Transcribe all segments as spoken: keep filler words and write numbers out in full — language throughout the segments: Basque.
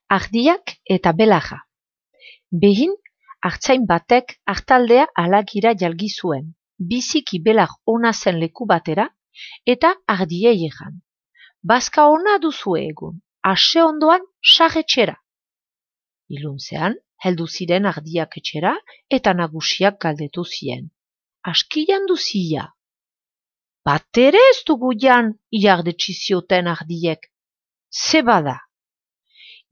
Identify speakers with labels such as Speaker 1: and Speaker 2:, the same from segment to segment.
Speaker 1: ardiak eta belaja. Behin, artzain batek artaldea alagira jalgi zuen, biziki belag ona zen leku batera, eta ardiei egan. Bazka ona duzu egun, ase ondoan sarretxera. Iluntzean, heldu ziren ardiak etxera, eta nagusiak galdetu zien. Askian duzia. Batere ez dugu jan, iardetsi zioten ardiek. Ze bada.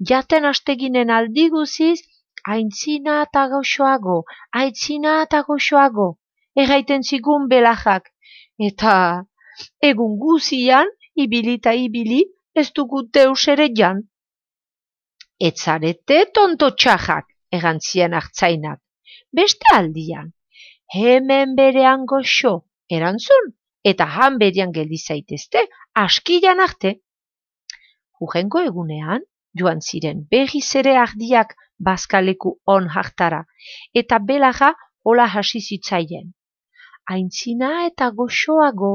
Speaker 1: Jaten asteginen aldi guziz, aintzina eta goxoago, aintzina eta goxoago, erraiten zigun belajak, eta egun guzian, ibili eta ibili, ez dugu deus ere jan. Etzarete tonto txajak, erantzien artzainak, beste aldian, hemen berean goxo, erantzun, eta han berean geldi zaitezte, askian arte. Hurrengo egunean, joan ziren berriz ere ardiak bazkaleku on hartara, eta belaja hola hasi zitzaien. Aintzina eta goxoago,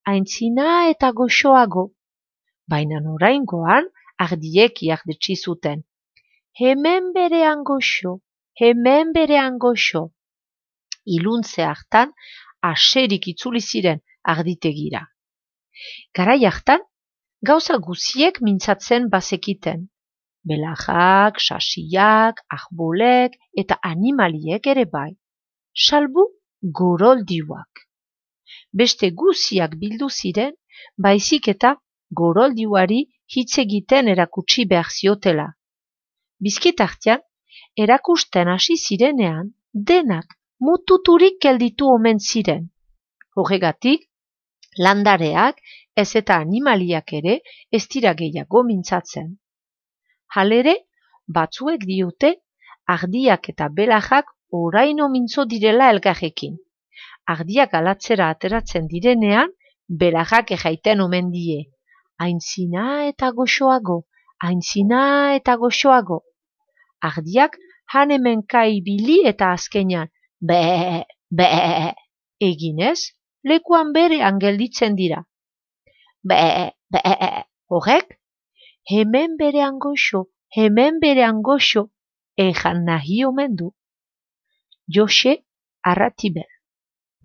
Speaker 1: aintzina eta goxoago. Baina oraingoan ardiek iardetsi zuten. Hemen berean goxo, hemen berean goxo. Iluntze hartan, aserik itzuli ziren arditegira. Garai hartan, gauza guziek mintzatzen bazekiten. Belajak, sasiak, arbolek eta animaliek ere bai. Salbu goroldiuak. Beste guziak bildu ziren, baizik eta goroldiuari hitz egiten erakutsi behar ziotela. Bizkitartean, erakusten hasi zirenean, denak mututurik gelditu omen ziren. Horregatik, landareak ez eta animaliak ere ez dira gehiago mintzatzen. Halere, batzuek diote, ardiak eta belajak oraino mintzo direla elgarrekin. Ardiak alatzera ateratzen direnean, belajak erraiten omen die. Aintzina eta goxoago, aintzina eta goxoago. Ardiak han hemenka ibili eta azkenean, be, be, eginez, lekuan berean gelditzen dira. Be, be, horrek, hemen berean goxo, hemen berean goxo, ejan nahi omen du. Jose Arratibel.